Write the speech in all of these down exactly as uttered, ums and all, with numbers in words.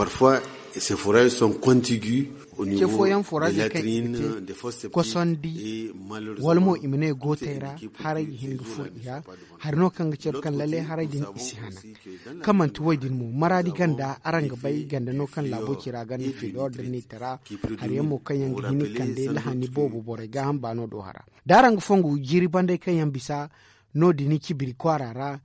Parfois, ces forages sont contigus au niveau des latrines, des fosses septiques. Kosondi wala mo i ma ne gootey ra, haray ga hin ga furo i ra. Hari no kaŋ ga care kaŋ lalle haray din i si hana. Kaŋ manti wo- din mo, maraadi ganda araŋ ga bay ganda no kaŋ laabo ci ra ganda feedo ordinitara. Hari yaŋ mo kaŋ yaŋ ga hin ga kande lahani boobo borey gaaham baano do hara. Da araŋ ga fongu jiiri bandey kaŋ yaŋ bisa no- din cibiri kwaara ra,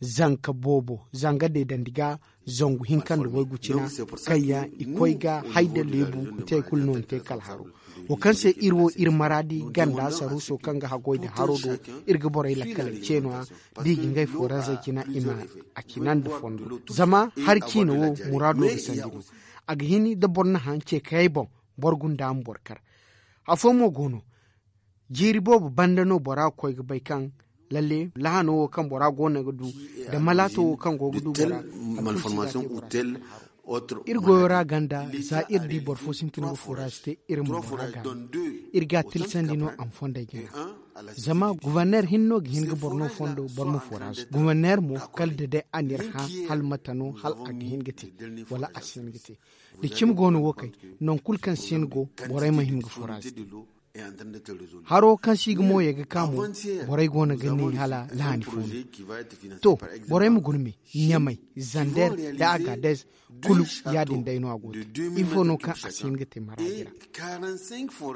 zanka boobo zanga deedandi ga zangu hinka nda waygu cina, kaŋ yaŋ i koy ga hay da leebu nte kulu no ni te kala haro. Wo kaŋ se iri wo iri maraadi ganda saruuso kaŋ ga haggoy nda haro do, iri ga borey lakkaley ce no- ya. Da i ga ngey fooraŋ zey cina i ma a cina nda fondo. Zama hari ciina wo muraado ga sandi no. A ga hin da boro na haŋ ce kayey boŋ, boro gunda ma boro kar. Afo mo go no, jiiri boobo banda no bora ga koy ga bay kaŋ lalle lahano wo kaŋ bora go no ga du, nda malaato wo kaŋ go ga du bora, malformation ou tel. Iri goyo ra ganda za iri di boro fo sintin ga fooraasi te, iri ma bora gaana. Iri ga a tilsandi no a ma fondey gana. Zama guverner hinne no ga hin ga boro no fondo boro ma fooraasi guverner mo, kala da day a n'iri hã hala mate no hala a ga hin ga te, wala a si hin ga te. Da cimi go no wo kay, nangu kulu kaŋ si hin go, borey ma hin ga fooraasi te. Haro kaŋ si ga mooyey ga ka mo, borey go no ga ne hala lahani fo no. To, borey ma guna me, ɲamay, zander, nda agadez, kulu ya- din day no a go te. Ifo no kaŋ a si hin ga te maraadi ra?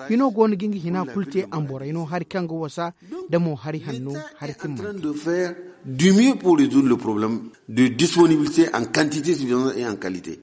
Hino go no ga nga hina kulu te a ma borey no hari kaŋ ga wasa, da mo hari hanno, hari timmante. Du mieux pour résoudre le problème de disponibilité en quantité suffisante et en qualité.